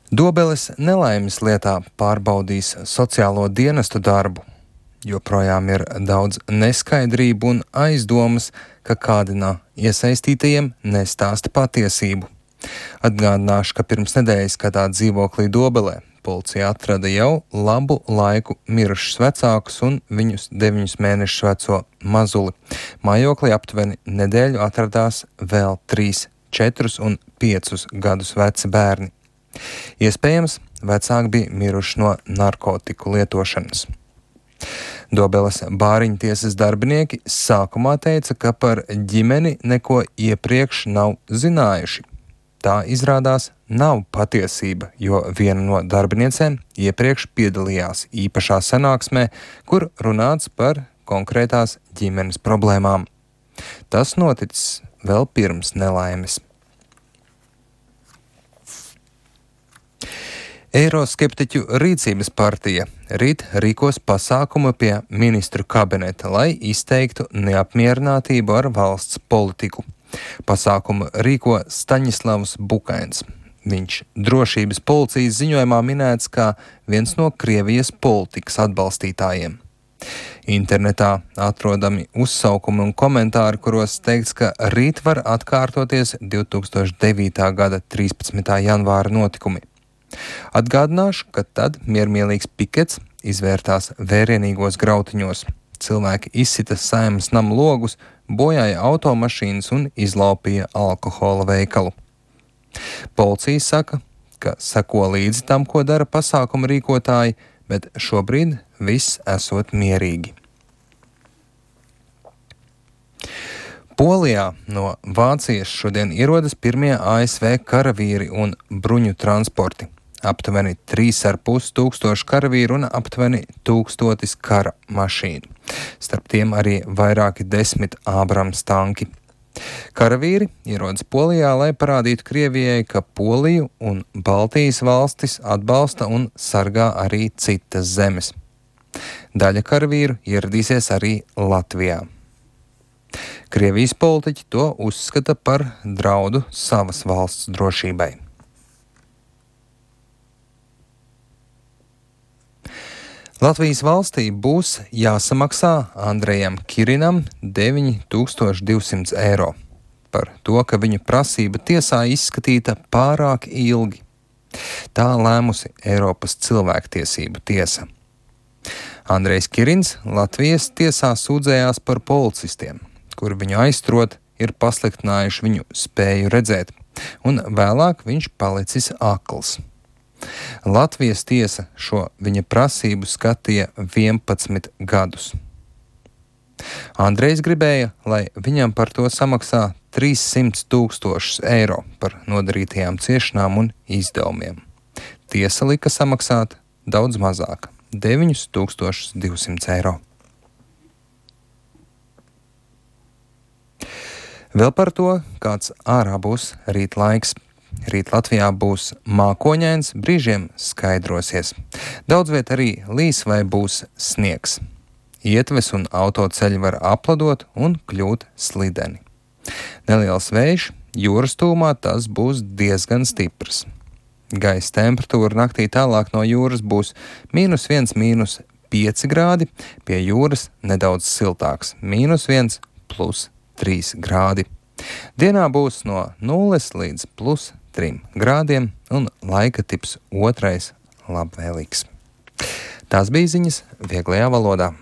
Dobeles nelaimes lietā pārbaudīs sociālo dienestu darbu. Joprojām ir daudz neskaidrību un aizdomas, ka kādi no iesaistītajiem nestāsta patiesību. Atgādināšu, ka pirms nedēļas kādā dzīvoklī Dobelē policija atrada jau labu laiku mirušus vecākus un viņus 9 mēnešus veco mazuli. Mājoklī aptuveni nedēļu atradās vēl 3, 4 un 5 gadus veci bērni. Iespējams, vecāki bija miruši no narkotiku lietošanas. Dobeles bāriņu tiesas darbinieki sākumā teica, ka par ģimeni neko iepriekš nav zinājuši. Tā izrādās nav patiesība, jo viena no darbiniecēm iepriekš piedalījās īpašā sanāksmē, kur runāts par konkrētās ģimenes problēmām. Tas noticis vēl pirms nelaimes. Eiroskeptiķu rīcības partija rīt rīkos pasākumu pie ministru kabineta, lai izteiktu neapmierinātību ar valsts politiku. Pasākumu rīko Staņislavs Bukains. Viņš drošības policijas ziņojumā minēts kā viens no Krievijas politikas atbalstītājiem. Internetā atrodami uzsaukumi un komentāri, kuros teikts, ka rīt var atkārtoties 2009. gada 13. janvāra notikumi. Atgādināšu, ka tad miermīlīgs pikets izvērtās vērienīgos grautiņos. Cilvēki izsita Saeimas nama logus, bojāja automašīnas un izlaupīja alkohola veikalu. Policija saka, ka seko līdzi tam, ko dara pasākuma rīkotāji, bet šobrīd viss esot mierīgi. Polijā no Vācijas šodien ierodas pirmie ASV karavīri un bruņu transporti. Aptuveni 3,5 tūkstoši karavīru un aptuveni 1000 kara mašīnu. Starp tiem arī vairāki 10 Ābrams tanki. Karavīri ierodas Polijā, lai parādītu Krievijai, ka Poliju un Baltijas valstis atbalsta un sargā arī citas zemes. Daļa karavīru ieradīsies arī Latvijā. Krievijas politiķi to uzskata par draudu savas valsts drošībai. Latvijas valstī būs jāsamaksā Andrejam Kirinam 9200 eiro par to, ka viņa prasība tiesā izskatīta pārāk ilgi. Tā lēmusi Eiropas cilvēktiesību tiesa. Andrejs Kirins Latvijas tiesā sūdzējās par policistiem, kuri viņu aizturot ir pasliktinājuši viņu spēju redzēt, un vēlāk viņš palicis akls. Latvijas tiesa šo viņa prasību skatīja 11 gadus. Andrejs gribēja, lai viņam par to samaksā 300 000 eiro par nodarītajām ciešanām un izdevumiem. Tiesa lika samaksāt daudz mazāk – 9200 eiro. Vēl par to, kāds ārā būs rīt laiks. Rīt Latvijā būs mākoņains, brīžiem skaidrosies. Daudz viet arī līs vai būs sniegs. Ietves un autoceļi var apladot un kļūt slideni. Neliels vējš, jūras tūmā tas būs diezgan stiprs. Gaisa temperatūra naktī tālāk no jūras būs -1, -5 grādi, pie jūras nedaudz siltāks - -1, +3 grādi. Dienā būs no 0 līdz +3 grādiem un laika tips otrais labvēlīgs. Tās bija ziņas vieglajā valodā.